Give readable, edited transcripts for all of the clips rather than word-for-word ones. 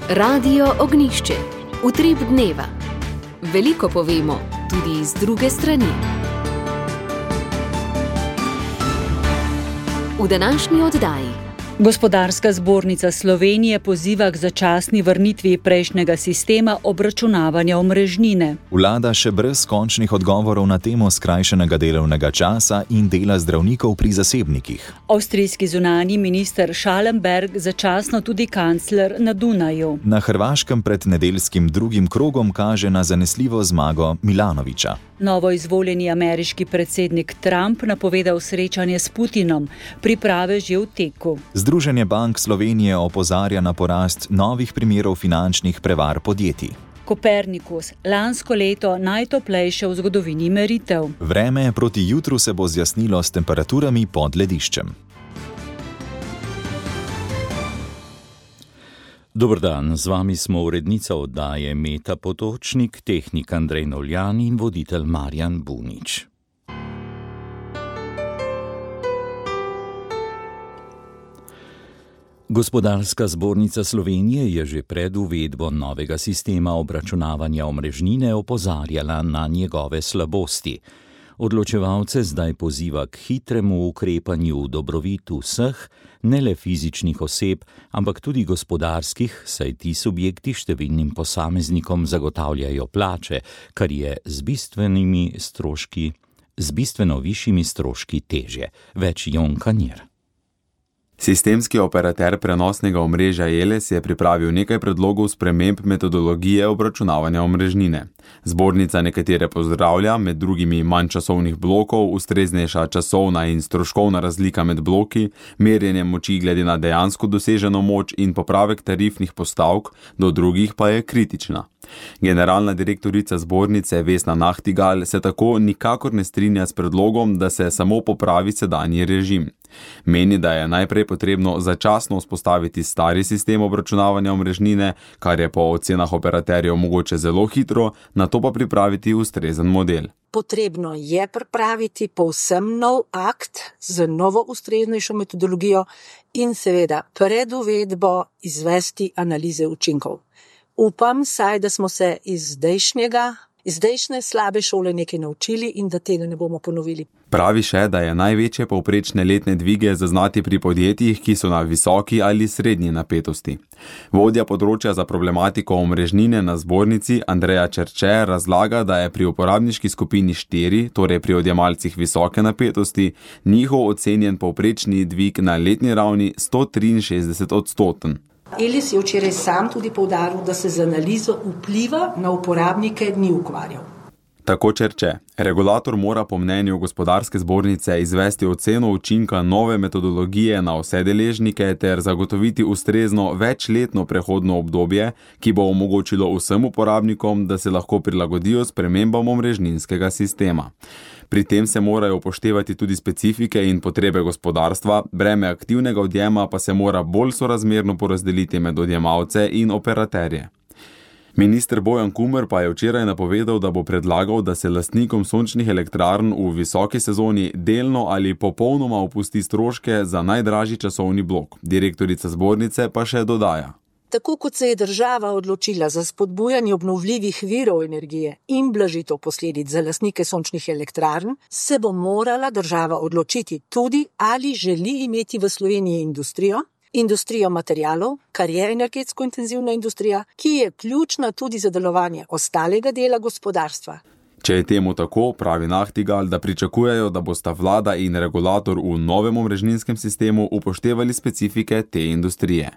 Radio Ognišče, utrip dneva. Veliko povemo, tudi z druge strani. V današnji oddaji. Gospodarska zbornica Slovenije poziva k začasni vrnitvi prejšnjega sistema obračunavanja omrežnine. Vlada še brez končnih odgovorov na temo skrajšanega delovnega časa in dela zdravnikov pri zasebnikih. Avstrijski zunanji minister Schallenberg začasno tudi kancler na Dunaju. Na Hrvaškem pred nedeljskim drugim krogom kaže na zanesljivo zmago Milanovića. Novo izvoljeni ameriški predsednik Trump napovedal srečanje s Putinom, priprave že v teku. Združenje bank Slovenije opozarja na porast novih primerov finančnih prevar podjetij. Kopernikus, lansko leto najtoplejše v zgodovini meritev. Vreme proti jutru se bo zjasnilo s temperaturami pod lediščem. Dober dan, z vami smo urednica oddaje Meta Potočnik, tehnik Andrej Novljan in voditelj Marjan Bunič. Gospodarska zbornica Slovenije je že pred uvedbo novega sistema obračunavanja omrežnine opozarjala na njegove slabosti. Odločevalce zdaj poziva k hitremu ukrepanju v dobrobit vseh, ne le fizičnih oseb, ampak tudi gospodarskih, saj ti subjekti številnim posameznikom zagotavljajo plače, kar je z bistveno višjimi stroški težje. Več Jon Kanjer. Sistemski operater prenosnega omrežja Eles je pripravil nekaj predlogov sprememb metodologije obračunavanja omrežnine. Zbornica nekatere pozdravlja, med drugimi manj časovnih blokov, ustreznejša časovna in stroškovna razlika med bloki, merjenje moči glede na dejansko doseženo moč in popravek tarifnih postavk, do drugih pa je kritična. Generalna direktorica zbornice Vesna Nahtigal se tako nikakor ne strinja s predlogom, da se samo popravi sedanji režim. Meni, da je najprej potrebno začasno vzpostaviti stari sistem obračunavanja omrežnine, kar je po ocenah operaterjev mogoče zelo hitro, nato pa pripraviti ustrezen model. Potrebno je pripraviti povsem nov akt z novo ustreznejšo metodologijo in seveda pred uvedbo izvesti analize učinkov. Upam saj, da smo se iz zdajšnje slabe šole nekaj naučili in da tega ne bomo ponovili. Pravi še, da je največje povprečne letne dvige zaznati pri podjetjih, ki so na visoki ali srednji napetosti. Vodja področja za problematiko omrežnine na zbornici Andreja Čerče razlaga, da je pri uporabniški skupini 4, torej pri odjemalcih visoke napetosti, njihov ocenjen povprečni dvig na letni ravni 163%. Eles je včeraj sam tudi poudaril, da se z analizo vpliva na uporabnike ni ukvarjal. Tako Čerče. Regulator mora po mnenju gospodarske zbornice izvesti oceno učinka nove metodologije na vse deležnike ter zagotoviti ustrezno večletno prehodno obdobje, ki bo omogočilo vsem uporabnikom, da se lahko prilagodijo spremembam omrežninskega sistema. Pri tem se morajo upoštevati tudi specifike in potrebe gospodarstva, breme aktivnega odjema pa se mora bolj sorazmerno porazdeliti med odjemalce in operaterje. Minister Bojan Kumer pa je včeraj napovedal, da bo predlagal, da se lastnikom sončnih elektrarn v visoki sezoni delno ali popolnoma opusti stroške za najdražji časovni blok. Direktorica zbornice pa še dodaja. Tako kot se je država odločila za spodbujanje obnovljivih virov energije in blažitev posledic za lastnike sončnih elektrarn, se bo morala država odločiti tudi, ali želi imeti v Sloveniji industrijo materialov, kar je energetsko intenzivna industrija, ki je ključna tudi za delovanje ostalega dela gospodarstva. Če je temu tako, pravi Nahtigal, da pričakujejo, da bosta vlada in regulator v novem omrežninskem sistemu upoštevali specifike te industrije.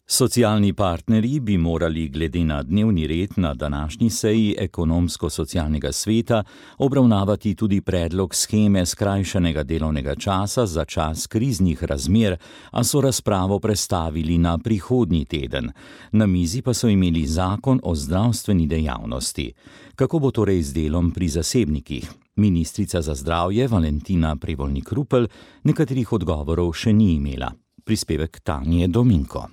Socialni partnerji bi morali glede na dnevni red na današnji seji ekonomsko-socialnega sveta obravnavati tudi predlog sheme skrajšanega delovnega časa za čas kriznih razmer, a so razpravo prestavili na prihodnji teden. Na mizi pa so imeli zakon o zdravstveni dejavnosti. Kako bo torej z delom pri zasebnikih? Ministrica za zdravje Valentina Prevolnik-Rupel nekaterih odgovorov še ni imela. Prispevek Tanje Dominko.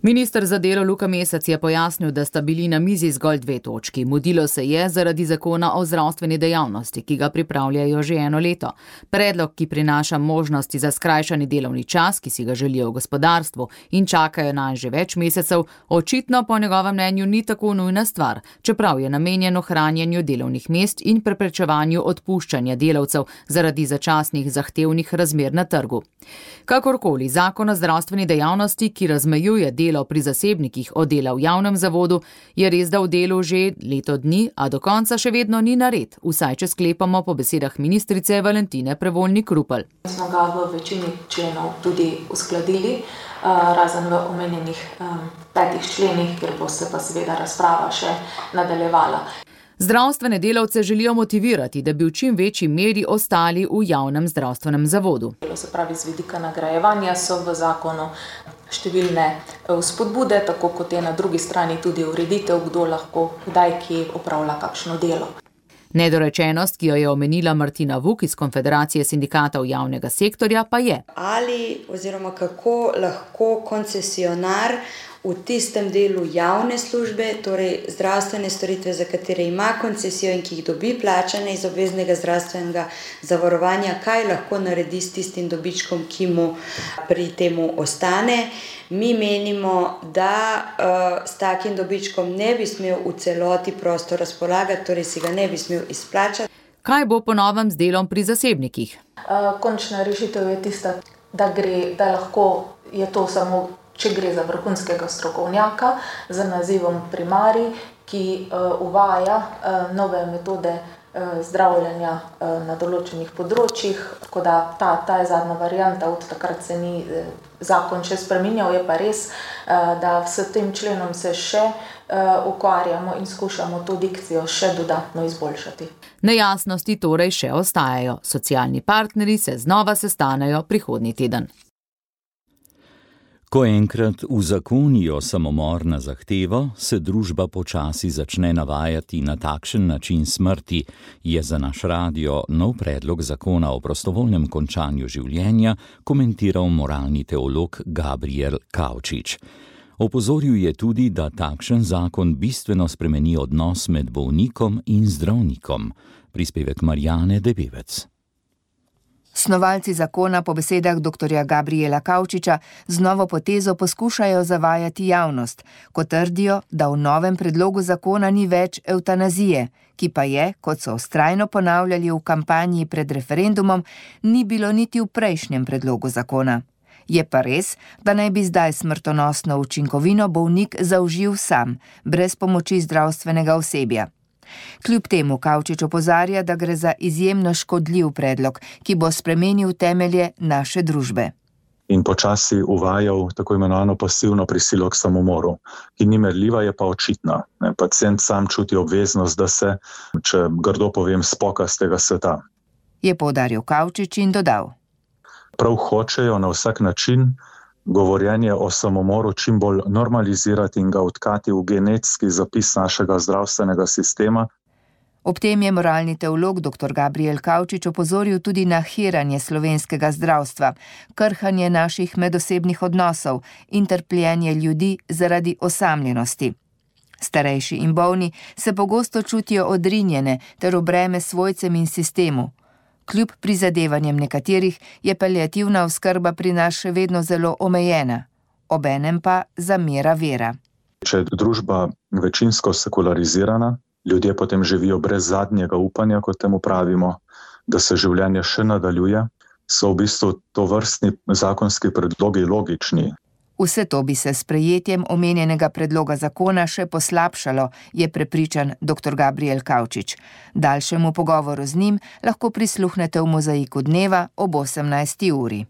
Minister za delo Luka Mesec je pojasnil, da sta bili na mizi zgolj 2 točki. Mudilo se je zaradi zakona o zdravstveni dejavnosti, ki ga pripravljajo že 1 leto. Predlog, ki prinaša možnosti za skrajšani delovni čas, ki si ga želijo v gospodarstvu in čakajo nanj že več mesecev, očitno po njegovem mnenju ni tako nujna stvar, čeprav je namenjen ohranjanju delovnih mest in preprečevanju odpuščanja delavcev zaradi začasnih zahtevnih razmer na trgu. Kakorkoli, zakon o zdravstveni dejavnosti, ki razmejuje delo pri zasebnikih od dela v javnem zavodu, je res da v delu že leto dni, a do konca še vedno ni nared, vsaj če sklepamo po besedah ministrice Valentine Prevolnik Rupel. Smo ga v večini členov tudi uskladili, razen v omenjenih 5 členih, kjer bo se pa seveda razprava še nadaljevala. Zdravstvene delavce želijo motivirati, da bi v čim večji meri ostali v javnem zdravstvenem zavodu. Se pravi, z vidika nagrajevanja so v zakonu številne vzpodbude, tako kot je na drugi strani tudi ureditev, kdo lahko kdaj kje opravlja kakšno delo. Nedorečenost, ki jo je omenila Martina Vuk iz Konfederacije sindikatov javnega sektorja, pa je. Ali oziroma kako lahko koncesionar v tistem delu javne službe, torej zdravstvene storitve, za katere ima koncesijo in ki jih dobi plačane iz obveznega zdravstvenega zavarovanja, kaj lahko naredi s tistim dobičkom, ki mu pri temu ostane. Mi menimo, da s takim dobičkom ne bi smel v celoti prosto razpolagati, torej si ga ne bi smel izplačati. Kaj bo po novem z delom pri zasebnikih? Končna rešitev je tista, da lahko je to samo, če gre za vrhunskega strokovnjaka z nazivom primarij, ki uvaja nove metode zdravljenja na določenih področjih, tako da ta je zadnja varianta, od takrat se ni zakon še spreminjal, je pa res, da s tem členom se še ukvarjamo in skušamo to dikcijo še dodatno izboljšati. Nejasnosti torej še ostajajo. Socialni partnerji se znova sestanejo prihodnji teden. Ko enkrat uzakonijo samomor na zahtevo, se družba počasi začne navajati na takšen način smrti, je za naš radio nov predlog zakona o prostovoljnem končanju življenja komentiral moralni teolog Gabriel Kavčič. Opozoril je tudi, da takšen zakon bistveno spremeni odnos med bolnikom in zdravnikom. Prispevek Marjane Debevec. Snovalci zakona po besedah dr. Gabriela Kavčiča z novo potezo poskušajo zavajati javnost, ko trdijo, da v novem predlogu zakona ni več evtanazije, ki pa je, kot so vztrajno ponavljali v kampanji pred referendumom, ni bilo niti v prejšnjem predlogu zakona. Je pa res, da naj bi zdaj smrtonosno učinkovino bolnik zaužil sam, brez pomoči zdravstvenega osebja. Kljub temu Kavčič opozarja, da gre za izjemno škodljiv predlog, ki bo spremenil temelje naše družbe. In počasi uvajal tako imenovano pasivno prisilo k samomoru, ki ni merljiva, je pa očitna. Pacient sam čuti obveznost, da se, če grdo povem, spoka z tega sveta. Je poudaril Kavčič in dodal. Prav hočejo na vsak način govorjenje o samomoru čim bolj normalizirati in ga vtkati v genetski zapis našega zdravstvenega sistema. Ob tem je moralni teolog dr. Gabriel Kavčič opozoril tudi na hiranje slovenskega zdravstva, krhanje naših medosebnih odnosov in trpljenje ljudi zaradi osamljenosti. Starejši in bolni se pogosto čutijo odrinjene ter v breme svojcem in sistemu. Kljub prizadevanjem nekaterih je paliativna oskrba pri nas še vedno zelo omejena, obenem pa zamera vera. Če je družba večinsko sekularizirana, ljudje potem živijo brez zadnjega upanja, kot temu pravimo, da se življenje še nadaljuje, so v bistvu tovrstni zakonski predlogi logični. Vse to bi se s sprejetjem omenjenega predloga zakona še poslabšalo, je prepričan dr. Gabriel Kavčič. Daljšemu pogovoru z njim lahko prisluhnete v Mozaiku dneva ob 18. uri.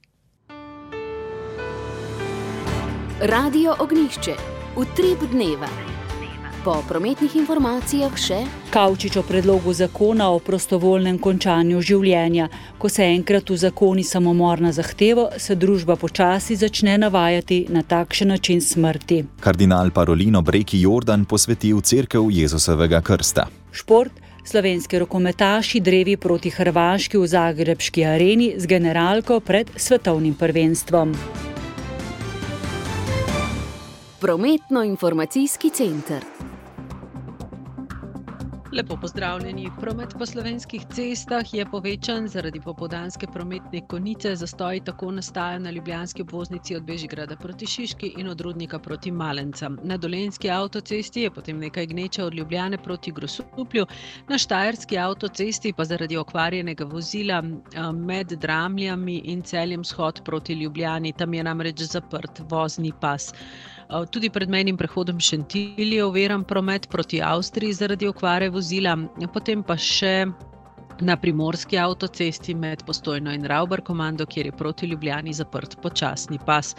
Radio Ognjišče. Utrip dneva. Po prometnih informacijah še Kavčič o predlogu zakona o prostovoljnem končanju življenja. Ko se enkrat uzakoni samomor na zahtevo, se družba počasi začne navajati na takšen način smrti. Kardinal Parolino Breki Jordan posvetil cerkev Jezusovega krsta. Šport. Slovenski rokometaši drevi proti Hrvaški v zagrebški areni z generalko pred svetovnim prvenstvom. Prometno-informacijski center. Lepo pozdravljeni. Promet po slovenskih cestah je povečan zaradi popoldanske prometne konice. Zastoji tako nastajajo na ljubljanski obvoznici od Bežigrada proti Šiški in od Rudnika proti Malencam. Na dolenjski avtocesti je potem nekaj gneče od Ljubljane proti Grosuplju. Na štajerski avtocesti pa zaradi okvarjenega vozila med Dramljami in Celjem shod proti Ljubljani. Tam je namreč zaprt vozni pas. Tudi pred mejnim prehodom Šentilj je oviran promet proti Avstriji zaradi okvare vozila, potem pa še na primorski avtocesti med Postojno in Ravbar-Komando, kjer je proti Ljubljani zaprt počasni pas.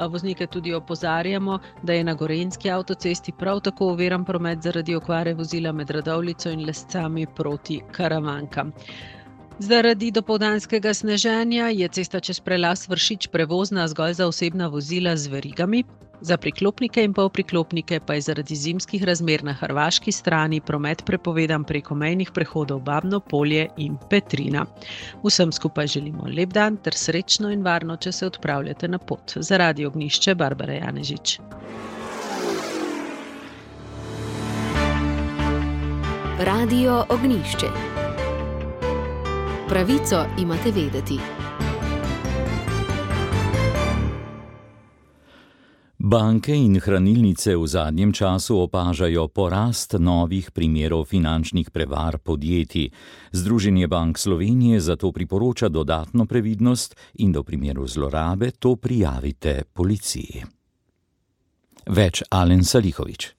Voznike tudi opozarjamo, da je na gorenjski avtocesti prav tako oviran promet zaradi okvare vozila med Radovljico in Lescami proti Karavankam. Zaradi dopoldanskega sneženja je cesta čez prelaz Vršič prevozna zgolj za osebna vozila z verigami. Za priklopnike in polpriklopnike pa je zaradi zimskih razmer na hrvaški strani promet prepovedan preko mejnih prehodov Babno Polje in Petrina. Vsem skupaj želimo lep dan ter srečno in varno, če se odpravljate na pot. Za Radio Ognjišče, Barbara Janežič. Radio Ognjišče. Pravico imate vedeti. Banke in hranilnice v zadnjem času opažajo porast novih primerov finančnih prevar podjetij. Združenje Bank Slovenije zato priporoča dodatno previdnost in do primeru zlorabe to prijavite policiji. Več Alen Salihović.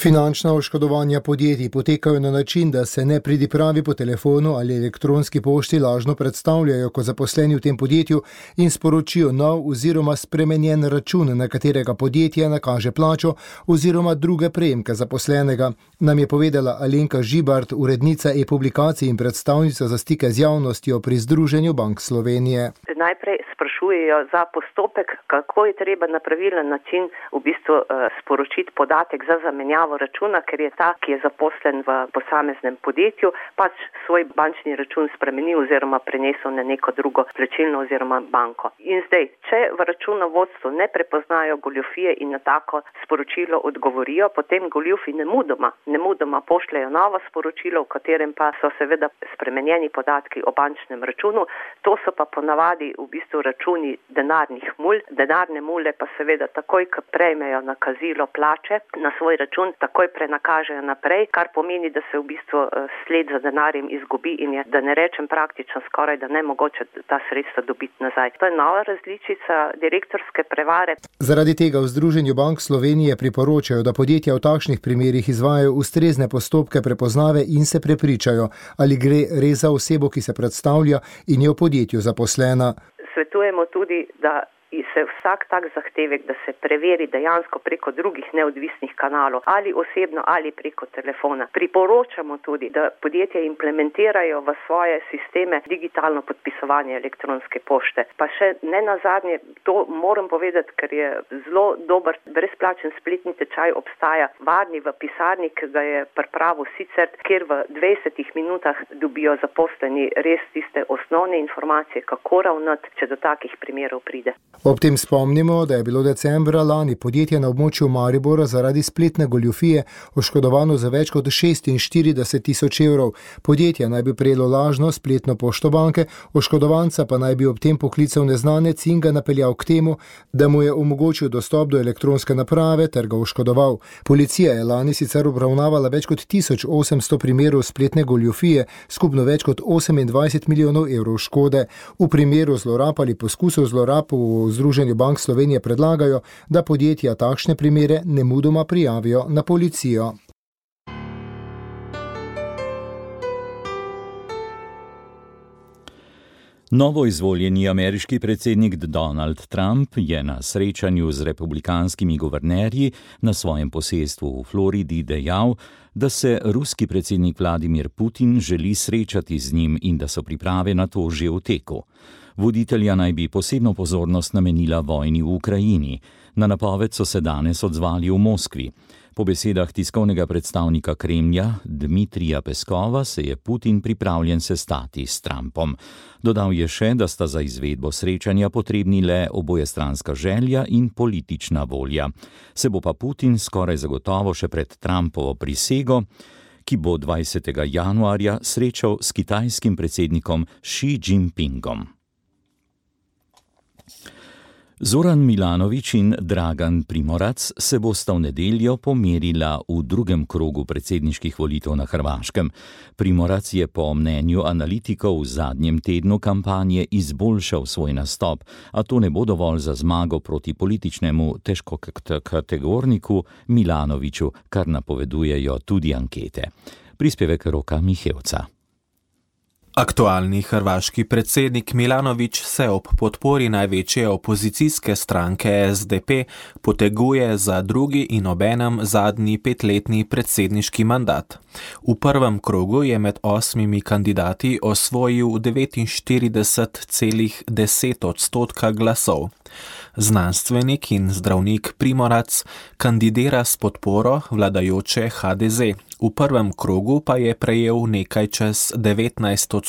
Finančna oškodovanja podjetij potekajo na način, da se nepridipravi po telefonu ali elektronski pošti lažno predstavljajo kot zaposleni v tem podjetju in sporočijo nov oziroma spremenjen račun, na katerega podjetje nakaže plačo oziroma druge prejemke zaposlenega, nam je povedala Alenka Žibart, urednica e-publikacij in predstavnica za stike z javnostjo pri Združenju Bank Slovenije. Najprej sprašujejo za postopek, kako je treba na pravilen način v bistvu sporočiti podatek za zamenjavo računa, ker je ta, ki je zaposlen v posameznem podjetju, pač svoj bančni račun spremenil oziroma prenesel na neko drugo plačilno oziroma banko. In zdaj, če v računovodstvu ne prepoznajo goljufije in na tako sporočilo odgovorijo, potem goljufi nemudoma pošljajo novo sporočilo, v katerem pa so seveda spremenjeni podatki o bančnem računu. To so pa ponavadi v bistvu računi denarnih mul. Denarne mule pa seveda takoj, ko prejmejo nakazilo plače na svoj račun, takoj prenakažejo naprej, kar pomeni, da se v bistvu sled za denarjem izgubi in je, da ne rečem praktično skoraj, da nemogoče ta sredstva dobiti nazaj. To je nova različica direktorske prevare. Zaradi tega v Združenju Bank Slovenije priporočajo, da podjetja v takšnih primerih izvajajo ustrezne postopke prepoznave in se prepričajo, ali gre res za osebo, ki se predstavlja in je v podjetju zaposlena. Svetujemo tudi, da se vsak tak zahtevek, da se preveri dejansko preko drugih neodvisnih kanalov, ali osebno, ali preko telefona. Priporočamo tudi, da podjetja implementirajo v svoje sisteme digitalno podpisovanje elektronske pošte. Pa še ne nazadnje, to moram povedati, ker je zelo dober brezplačen spletni tečaj obstaja, Varni v pisarni, ki ga je pripravil Sicer, kjer v 20 minutah dobijo zaposleni res tiste osnovne informacije, kako ravnati, če do takih primerov pride. Ob tem spomnimo, da je bilo decembra lani podjetje na območju Maribora zaradi spletne goljufije oškodovano za več kot 46.000 evrov. Podjetje naj bi prejelo lažno spletno pošto banke, oškodovanca pa naj bi ob tem poklical neznanec in ga napeljal k temu, da mu je omogočil dostop do elektronske naprave ter ga oškodoval. Policija je lani sicer obravnavala več kot 1800 primerov spletne goljufije, skupno več kot 28 milijonov evrov škode. V primeru zlorab ali poskusov zlorab v Združenju Bank Slovenije predlagajo, da podjetja takšne primere nemudoma prijavijo na policijo. Novoizvoljeni ameriški predsednik Donald Trump je na srečanju z republikanskimi guvernerji na svojem posestvu v Floridi dejal, da se ruski predsednik Vladimir Putin želi srečati z njim in da so priprave na to že v teku. Voditelja naj bi posebno pozornost namenila vojni v Ukrajini. Na napoved so se danes odzvali v Moskvi. Po besedah tiskovnega predstavnika Kremlja Dmitrija Peskova se je Putin pripravljen sestati s Trumpom. Dodal je še, da sta za izvedbo srečanja potrebni le obojestranska želja in politična volja. Se bo pa Putin skoraj zagotovo še pred Trumpovo prisego, ki bo 20. januarja srečal s kitajskim predsednikom Xi Jinpingom. Zoran Milanović in Dragan Primorac se bosta v nedeljo pomerila v drugem krogu predsedniških volitev na Hrvaškem. Primorac je po mnenju analitikov v zadnjem tednu kampanje izboljšal svoj nastop, a to ne bo dovolj za zmago proti političnemu težkokategorniku Milanoviću, kar napovedujejo tudi ankete. Prispevek Roka Mihevca. Aktualni hrvaški predsednik Milanović se ob podpori največje opozicijske stranke SDP poteguje za drugi in obenem zadnji 5-letni predsedniški mandat. V prvem krogu je med 8 kandidati osvojil 49,10% glasov. Znanstvenik in zdravnik Primorac kandidira s podporo vladajoče HDZ. V prvem krogu pa je prejel nekaj čez 19%.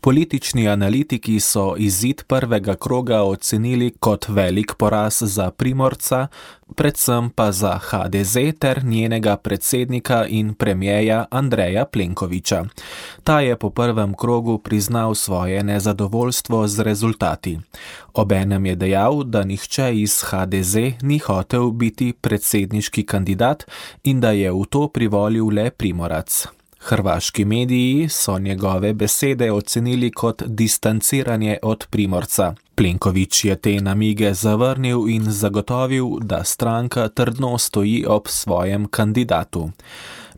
Politični analitiki so izid prvega kroga ocenili kot velik poraz za Primorca, predvsem pa za HDZ ter njenega predsednika in premierja Andreja Plenkovića. Ta je po prvem krogu priznal svoje nezadovoljstvo z rezultati. Obenem je dejal, da nihče iz HDZ ni hotel biti predsedniški kandidat in da je v to privolil le Primorac. Hrvaški mediji so njegove besede ocenili kot distanciranje od Primorca. Plenković je te namige zavrnil in zagotovil, da stranka trdno stoji ob svojem kandidatu.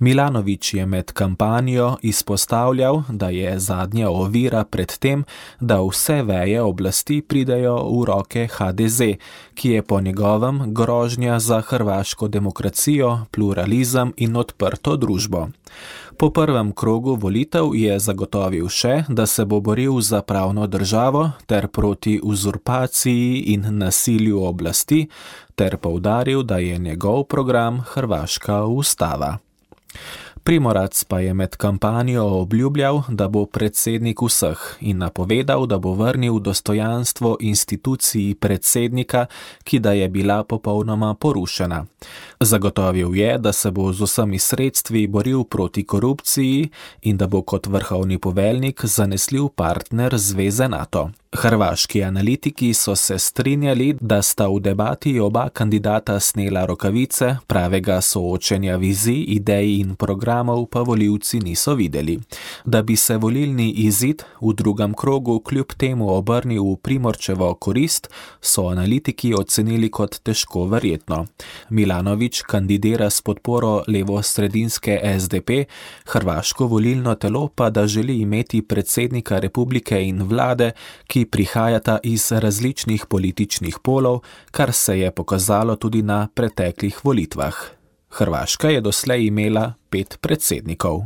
Milanović je med kampanjo izpostavljal, da je zadnja ovira pred tem, da vse veje oblasti pridejo v roke HDZ, ki je po njegovem grožnja za hrvaško demokracijo, pluralizem in odprto družbo. Po prvem krogu volitev je zagotovil še, da se bo boril za pravno državo ter proti uzurpaciji in nasilju oblasti, ter poudaril, da je njegov program hrvaška ustava. Primorac pa je med kampanjo obljubljal, da bo predsednik vseh in napovedal, da bo vrnil dostojanstvo instituciji predsednika, ki da je bila popolnoma porušena. Zagotovil je, da se bo z vsemi sredstvi boril proti korupciji in da bo kot vrhovni poveljnik zanesljiv partner zveze NATO. Hrvaški analitiki so se strinjali, da sta v debati oba kandidata snela rokavice, pravega soočenja vizij, idej in programov pa volivci niso videli. Da bi se volilni izid v drugem krogu kljub temu obrnil v Primorčevo korist, so analitiki ocenili kot težko verjetno. Milanović kandidira s podporo levo-sredinske SDP, hrvaško volilno telo pa da želi imeti predsednika republike in vlade, ki prihajata iz različnih političnih polov, kar se je pokazalo tudi na preteklih volitvah. Hrvaška je doslej imela 5 predsednikov.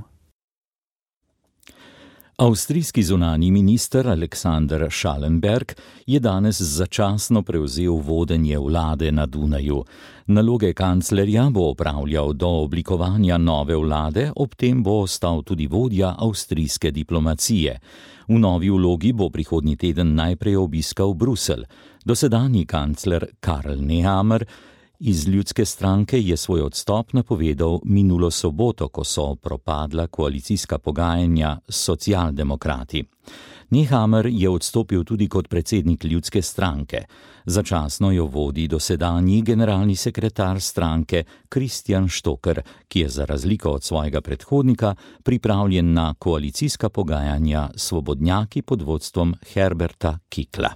Avstrijski zunanji minister Alexander Schallenberg je danes začasno prevzel vodenje vlade na Dunaju. Naloge kanclerja bo opravljal do oblikovanja nove vlade, ob tem bo ostal tudi vodja avstrijske diplomacije. V novi vlogi bo prihodnji teden najprej obiskal Bruselj. Dosedanji kancler Karl Nehammer iz Ljudske stranke je svoj odstop napovedal minulo soboto, ko so propadla koalicijska pogajanja s socialdemokrati. Nehammer je odstopil tudi kot predsednik Ljudske stranke. Začasno jo vodi dosedanji generalni sekretar stranke Christian Stocker, ki je za razliko od svojega predhodnika pripravljen na koalicijska pogajanja s svobodnjaki pod vodstvom Herberta Kickla.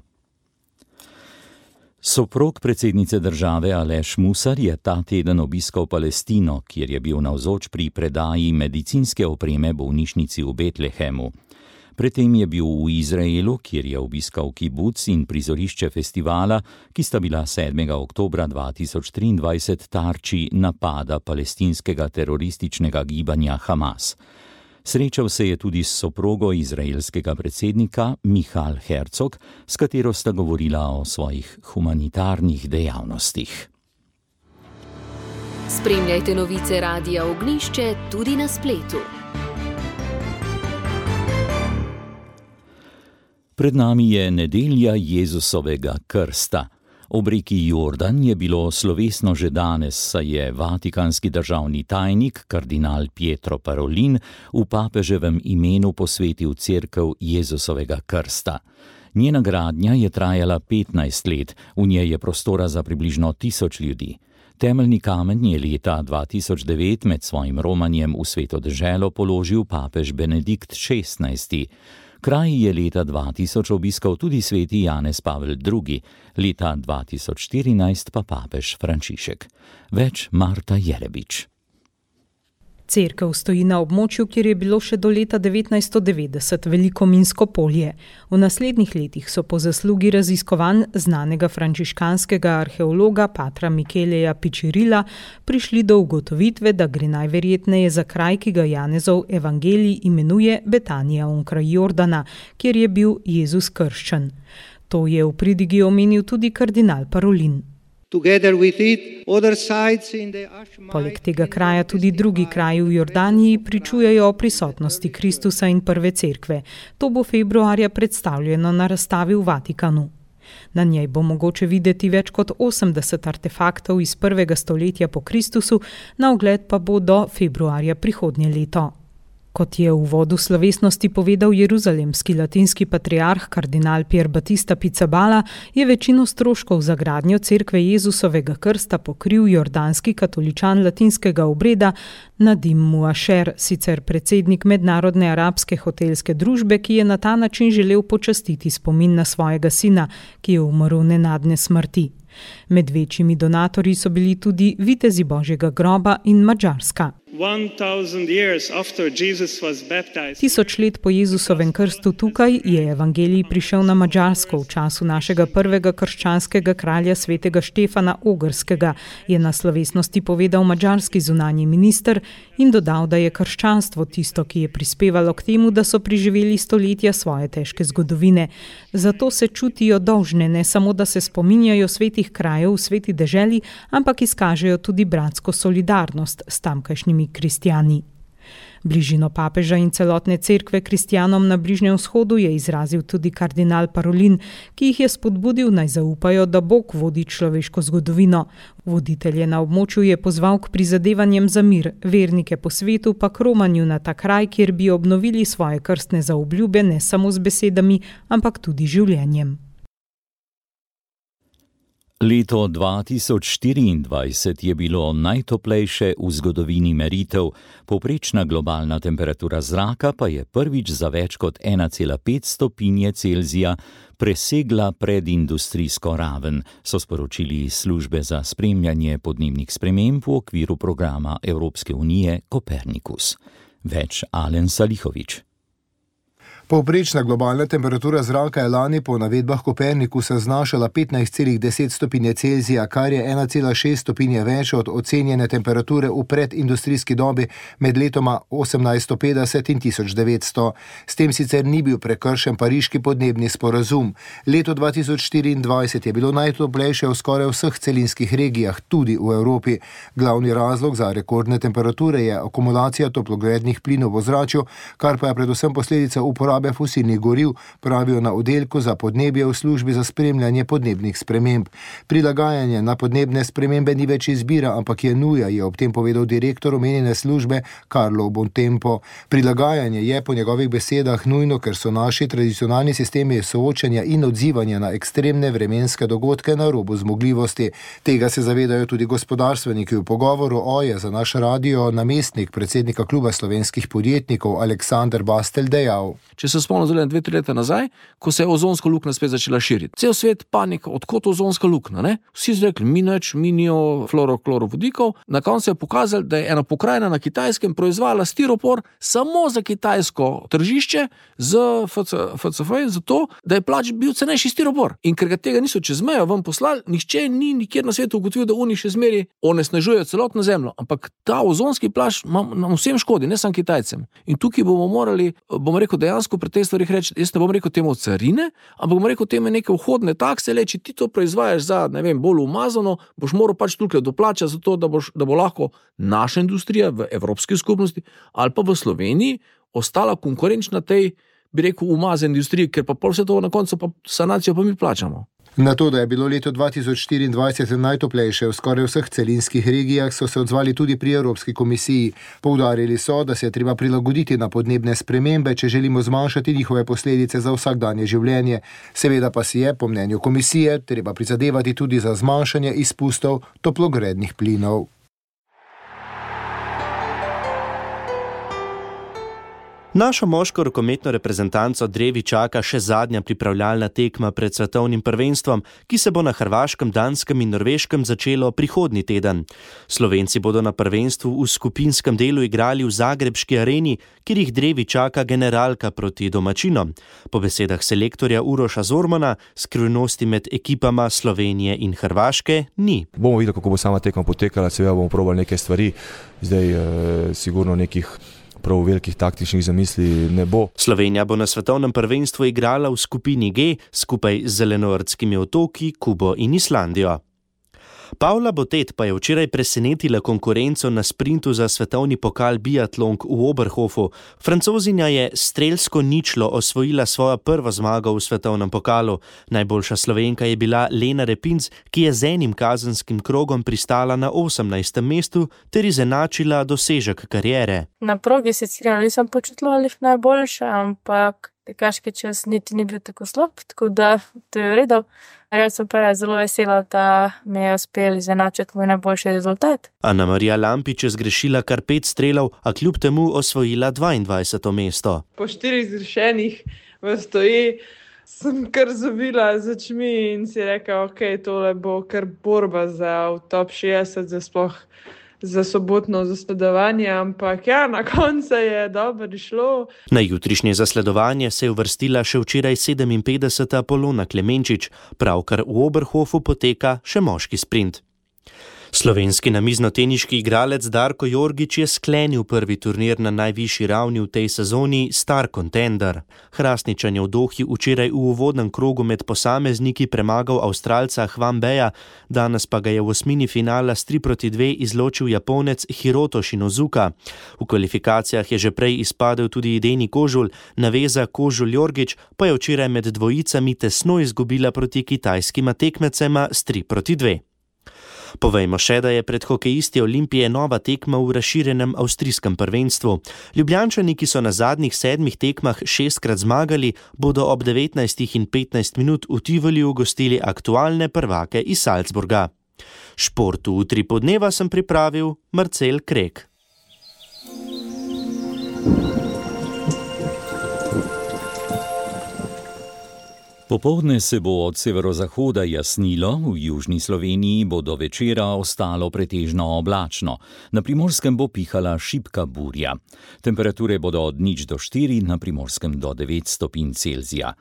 Soprog predsednice države Aleš Musar je ta teden obiskal Palestino, kjer je bil navzoč pri predaji medicinske opreme bolnišnici v Betlehemu. Predtem je bil v Izraelu, kjer je obiskal kibuc in prizorišče festivala, ki sta bila 7. oktobra 2023 tarči napada palestinskega terorističnega gibanja Hamas. Srečal se je tudi s soprogo izraelskega predsednika Michal Herzog, s katero sta govorila o svojih humanitarnih dejavnostih. Spremljajte novice Radia Ognjišče tudi na spletu. Pred nami je nedelja Jezusovega krsta. Ob reki Jordan je bilo slovesno že danes, saj je vatikanski državni tajnik, kardinal Pietro Parolin, v papeževem imenu posvetil cerkev Jezusovega krsta. Njena gradnja je trajala 15 let, v njej je prostora za približno 1000 ljudi. Temeljni kamen je leta 2009 med svojim romanjem v Sveto deželo položil papež Benedikt XVI. Kraj je leta 2000 obiskal tudi sveti Janez Pavel II., leta 2014 pa papež Frančišek. Več Marta Jelebič. Cerkev stoji na območju, kjer je bilo še do leta 1990 veliko minsko polje. V naslednjih letih so po zaslugi raziskovanj znanega frančiškanskega arheologa patra Micheleja Pičirila prišli do ugotovitve, da gre najverjetneje za kraj, ki ga Janezov evangelij imenuje Betanija onkraj Jordana, kjer je bil Jezus krščen. To je v pridigi omenil tudi kardinal Parolin. Poleg tega kraja tudi drugi kraji v Jordaniji pričujejo o prisotnosti Kristusa in prve cerkve. To bo februarja predstavljeno na razstavi v Vatikanu. Na njej bo mogoče videti več kot 80 artefaktov iz 1. stoletja po Kristusu, na ogled pa bo do februarja prihodnje leto. Kot je v uvodu slovesnosti povedal jeruzalemski latinski patriarh kardinal Pier Battista Pizzaballa, je večino stroškov za gradnjo cerkve Jezusovega krsta pokril jordanski katoličan latinskega obreda Nadim Muasher, sicer predsednik Mednarodne arabske hotelske družbe, ki je na ta način želel počastiti spomin na svojega sina, ki je umrl nenadne smrti. Med večjimi donatorji so bili tudi vitezi Božjega groba in Madžarska. 1000 let po Jezusovem krstu tukaj je evangelij prišel na Madžarsko v času našega prvega krščanskega kralja svetega Štefana Ogrskega, je na slovesnosti povedal madžarski zunanji minister in dodal, da je krščanstvo tisto, ki je prispevalo k temu, da so preživeli stoletja svoje težke zgodovine. Zato se čutijo dolžne, ne samo, da se spominjajo svetih krajev v sveti deželi, ampak izkažejo tudi bratsko solidarnost s tamkajšnjimi kristjani. Bližino papeža in celotne cerkve kristjanom na Bližnjem vzhodu je izrazil tudi kardinal Parolin, ki jih je spodbudil naj zaupajo, da Bog vodi človeško zgodovino. Voditelje na območju je pozval k prizadevanjem za mir, vernike po svetu pa k romanju na ta kraj, kjer bi obnovili svoje krstne zaobljube ne samo z besedami, ampak tudi življenjem. Leto 2024 je bilo najtoplejše v zgodovini meritev, povprečna globalna temperatura zraka pa je prvič za več kot 1,5 stopinje Celzija presegla predindustrijsko raven, so sporočili službe za spremljanje podnebnih sprememb v okviru programa Evropske unije Kopernikus. Več Alen Salihovič. Povprečna globalna temperatura zraka je lani po navedbah Kopernikusa znašala 15,10 stopinje Celzija, kar je 1,6 stopinje več od ocenjene temperature v predindustrijski dobi med letoma 1850 in 1900. S tem sicer ni bil prekršen pariški podnebni sporazum. Leto 2024 je bilo najtoplejše v skoraj vseh celinskih regijah, tudi v Evropi. Glavni razlog za rekordne temperature je akumulacija toplogrednih plinov v ozračju, kar pa je predvsem posledica uporabe fosilnih goriv, pravijo na oddelku za podnebje v službi za spremljanje podnebnih sprememb. Prilagajanje na podnebne spremembe ni več izbira, ampak je nuja, je ob tem povedal direktor omenjene službe Carlo Bontempo. Prilagajanje je po njegovih besedah nujno, ker so naši tradicionalni sistemi soočanja in odzivanja na ekstremne vremenske dogodke na robu zmogljivosti. Tega se zavedajo tudi gospodarstveniki. V pogovoru je za naš radio namestnik predsednika kluba slovenskih podjetnikov Aleksander Bastel dejal. če se spomnim 2-3 leta nazaj, ko se je ozonska luknja spet začela širiti. Cel svet panika, odkot ozonska luknja, ne? Vsi so rekli, minijo fluoroklorodikov. Na koncu je pokazalo, da je ena pokrajina na Kitajskem proizvala stiropor samo za kitajsko tržišče z FCF, zato, da je bil cenejši stiropor. In ker ga tega niso čez mejo vam poslali, nihče ni nikjer na svetu ugotovil, da oni še zmeri onesnažujejo celotno zemljo. Ampak ta ozonski plašč nam vsem škodi, ne samo Kitajcem. In tukaj bomo morali, dejansko pri teh stvarih reči, jaz ne bom rekel temu carine, ampak bom rekel temu neke vhodne takse, če ti to proizvajaš za, bolj umazano, boš moral tukaj doplačati za to, da bo lahko naša industrija v Evropski skupnosti ali pa v Sloveniji ostala konkurenčna tej, umazani industriji, ker pa pol vse to na koncu pa sanacijo pa mi plačamo. Na to, da je bilo leto 2024 najtoplejše v skoraj vseh celinskih regijah, so se odzvali tudi pri Evropski komisiji. Poudarili so, da se je treba prilagoditi na podnebne spremembe, če želimo zmanjšati njihove posledice za vsakdanje življenje. Seveda pa si je, po mnenju komisije, treba prizadevati tudi za zmanjšanje izpustov toplogrednih plinov. Našo moško rokometno reprezentanco drevi čaka še zadnja pripravljalna tekma pred svetovnim prvenstvom, ki se bo na Hrvaškem, Danskem in Norveškem začelo prihodnji teden. Slovenci bodo na prvenstvu v skupinskem delu igrali v zagrebški areni, kjer jih drevi čaka generalka proti domačinom. Po besedah selektorja Uroša Zormana, skrivnosti med ekipama Slovenije in Hrvaške ni. Bomo videli, kako bo sama tekma potekala, seveda bomo probali nekaj stvari, zdaj sigurno nekih prav velikih taktičnih zamisli ne bo. Slovenija bo na svetovnem prvenstvu igrala v skupini G skupaj z Zelenoordskimi otoki, Kubo in Islandijo. Paula Botet pa je včeraj presenetila konkurenco na sprintu za svetovni pokal biatlonk v Oberhofu. Francozinja je strelsko ničlo osvojila svojo prvo zmago v svetovnem pokalu. Najboljša Slovenka je bila Lena Repinc, ki je z enim kazenskim krogom pristala na 18. mestu ter izenačila dosežek kariere. Na progi se nisem počutila najboljše, ampak tekaški čas niti ni bil tako slab, tako da to je v redu. Jaz sem pa zelo vesela, da mi je uspel izenačiti moj najboljši rezultat. Ana Marija Lampič je zgrešila kar 5 strelov, a kljub temu osvojila 22. mesto. Po 4 zgrešenih v stoji sem kar zavila z očmi in si rekla, tole bo kar borba za v top 60, za sobotno zasledovanje, ampak na koncu je dobro šlo. Na jutrišnje zasledovanje se je uvrstila še včeraj 57. Polona Klemenčič, pravkar v Oberhofu poteka še moški sprint. Slovenski namiznoteniški igralec Darko Jorgič je sklenil prvi turnir na najvišji ravni v tej sezoni Star Contender. Hrastničan je v Dohi včeraj v uvodnem krogu med posamezniki premagal Avstralca Hwambeja, danes pa ga je v osmini finala s 3-2 izločil Japonec Hiroto Shinozuka. V kvalifikacijah je že prej izpadel tudi Deni Kožul, naveza Kožul-Jorgič pa je včeraj med dvojicami tesno izgubila proti kitajskima tekmecema s 3-2. Povejmo še, da je pred hokejisti Olimpije nova tekma v razširjenem avstrijskem prvenstvu. Ljubljančani, ki so na zadnjih 7 tekmah 6-krat zmagali, bodo ob 19:15 v Tivoliju gostili aktualne prvake iz Salzburga. Športu v 3 podneva sem pripravil Marcel Krek. Popoldne se bo od severozahoda jasnilo, v južni Sloveniji bo do večera ostalo pretežno oblačno. Na Primorskem bo pihala šibka burja. Temperature bodo od 0 do 4, na Primorskem do 9 stopinj Celzija.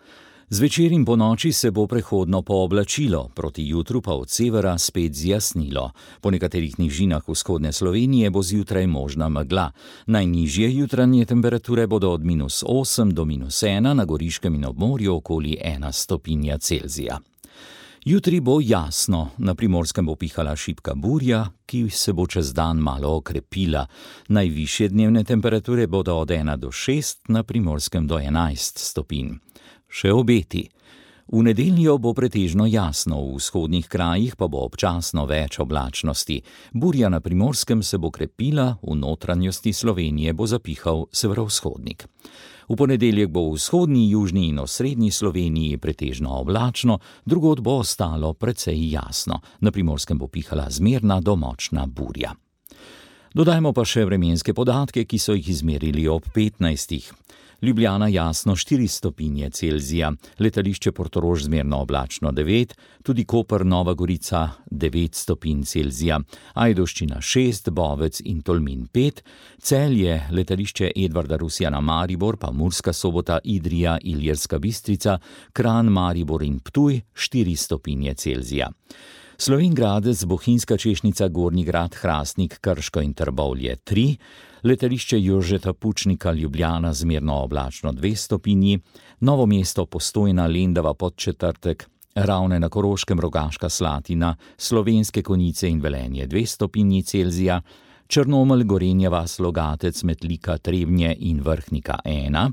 Zvečer in ponoči se bo prehodno pooblačilo, proti jutru pa od severa spet zjasnilo. Po nekaterih nižinah vzhodne Slovenije bo zjutraj možna megla. Najnižje jutranje temperature bodo od -8 do -1, na Goriškem in ob morju okoli 1 stopinja Celzija. Jutri bo jasno, na Primorskem bo pihala šibka burja, ki se bo čez dan malo okrepila. Najvišje dnevne temperature bodo od 1 do 6, na Primorskem do 11 stopinj. Še obeti. V nedeljo bo pretežno jasno, v vzhodnih krajih pa bo občasno več oblačnosti. Burja na Primorskem se bo krepila, v notranjosti Slovenije bo zapihal severovzhodnik. V ponedeljek bo v vzhodni, južni in osrednji Sloveniji pretežno oblačno, drugod bo ostalo precej jasno. Na Primorskem bo pihala zmerna do močna burja. Dodajmo pa še vremenske podatke, ki so jih izmerili ob 15. Ljubljana jasno 4 stopinje Celzija, letališče Portorož zmerno oblačno 9, tudi Koper Nova Gorica 9 stopinj Celzija, Ajdovščina 6, Bovec in Tolmin 5, Celje, letališče Edvarda Rusjana Maribor, pa Murska Sobota, Idrija, Iljerska Bistrica, Kranj, Maribor in Ptuj 4 stopinje Celzija. Slovenj Gradec, Bohinjska Češnica, Gornji Grad, Hrastnik, Krško in Trbovlje 3, letališče Jožeta Pučnika Ljubljana zmerno oblačno 2 stopinji, Novo mesto, Postojna, Lendava, Podčetrtek, Ravne na Koroškem, Rogaška Slatina, Slovenske Konjice in Velenje 2 stopinji Celzija, Črnomelj, Gorenja vas, Logatec, Metlika, Trebnje in Vrhnika 1,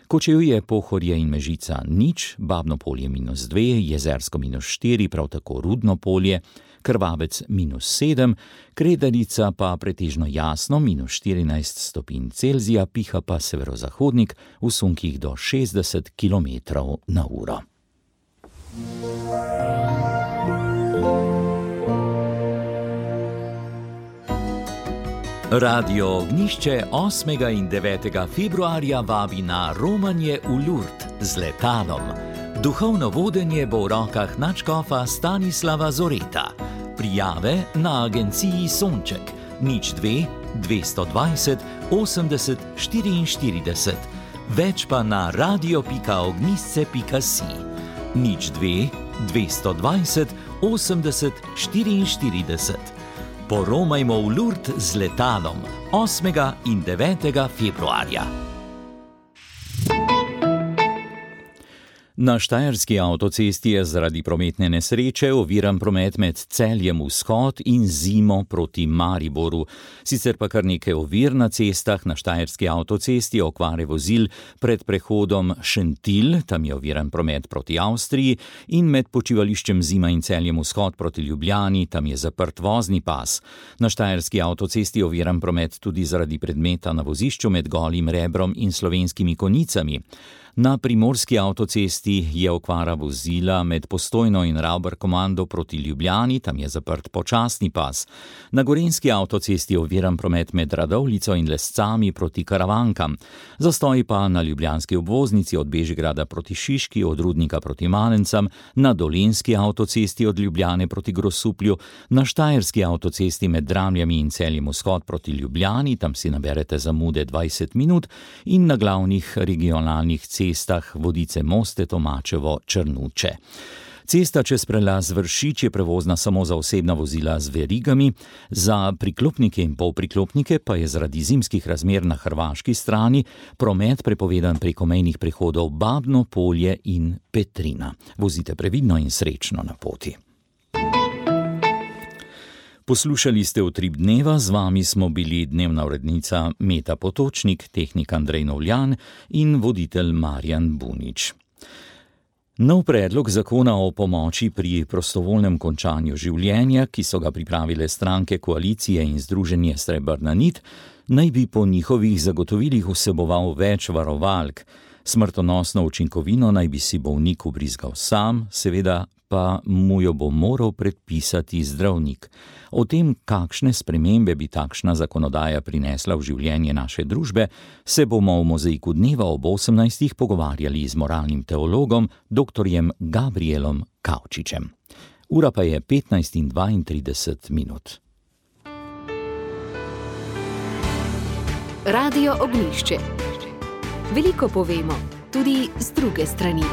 Kočevje, Pohorje in Mežica 0, Babno Polje -2, Jezersko -4, prav tako Rudno Polje, Krvavec -7, Kredarica pa pretežno jasno -14 stopinj Celzija, piha pa severozahodnik v sunkih do 60 km/h. Radio Ognjišče 8. in 9. februarja vabi na romanje v Lourdes z letalom. Duhovno vodenje bo v rokah nadškofa Stanislava Zoreta. Prijave na agenciji Sonček 02 220 80 44, več pa na radio.ognjisce.si 02 220 80 44. Poromajmo v Lourdes z letalom 8. in 9. februarja. Na štajerski avtocesti je zaradi prometne nesreče oviran promet med Celjem vzhod in Zimo proti Mariboru. Sicer pa kar nekaj ovir na cestah. Na štajerski avtocesti okvare vozil pred prehodom Šentilj, tam je oviran promet proti Avstriji, in med počivališčem Zima in Celjem vzhod proti Ljubljani, tam je zaprt vozni pas. Na štajerski avtocesti je oviran promet tudi zaradi predmeta na vozišču med Golim Rebrom in Slovenskimi Konjicami. Na primorski avtocesti je okvara vozila med Postojno in Ravbar-Komando proti Ljubljani, tam je zaprt počasni pas. Na gorenjski avtocesti je oviran promet med Radovljico in Lescami proti Karavankam. Zastoji pa na ljubljanski obvoznici od Bežigrada proti Šiški, od Rudnika proti Malencam, na dolenjski avtocesti od Ljubljane proti Grosuplju, na štajerski avtocesti med Dramljami in Celjem vzhod proti Ljubljani, tam si naberete zamude 20 minut, in na glavnih regionalnih cestah Vodice, Moste, Tomačevo, Črnuče. Cesta čez prelaz Vršič je prevozna samo za osebna vozila z verigami, za priklopnike in polpriklopnike pa je zaradi zimskih razmer na hrvaški strani promet prepovedan preko mejnih prehodov Babno Polje in Petrina. Vozite previdno in srečno na poti. Poslušali ste Utrip dneva, z vami smo bili dnevna urednica Meta Potočnik, tehnik Andrej Novljan in voditelj Marjan Bunič. Nov predlog zakona o pomoči pri prostovoljnem končanju življenja, ki so ga pripravile stranke koalicije in združenje Srebrna nit, naj bi po njihovih zagotovilih vseboval več varovalk. Smrtonosno učinkovino naj bi si bolnik ubrizgal sam, seveda pa mu jo bo moral predpisati zdravnik. O tem, kakšne spremembe bi takšna zakonodaja prinesla v življenje naše družbe, se bomo v Mozaiku dneva ob 18. pogovarjali z moralnim teologom dr. Gabrielom Kavčičem. Ura pa je 15:32. Radio Ognjišče. Veliko povemo, tudi z druge strani.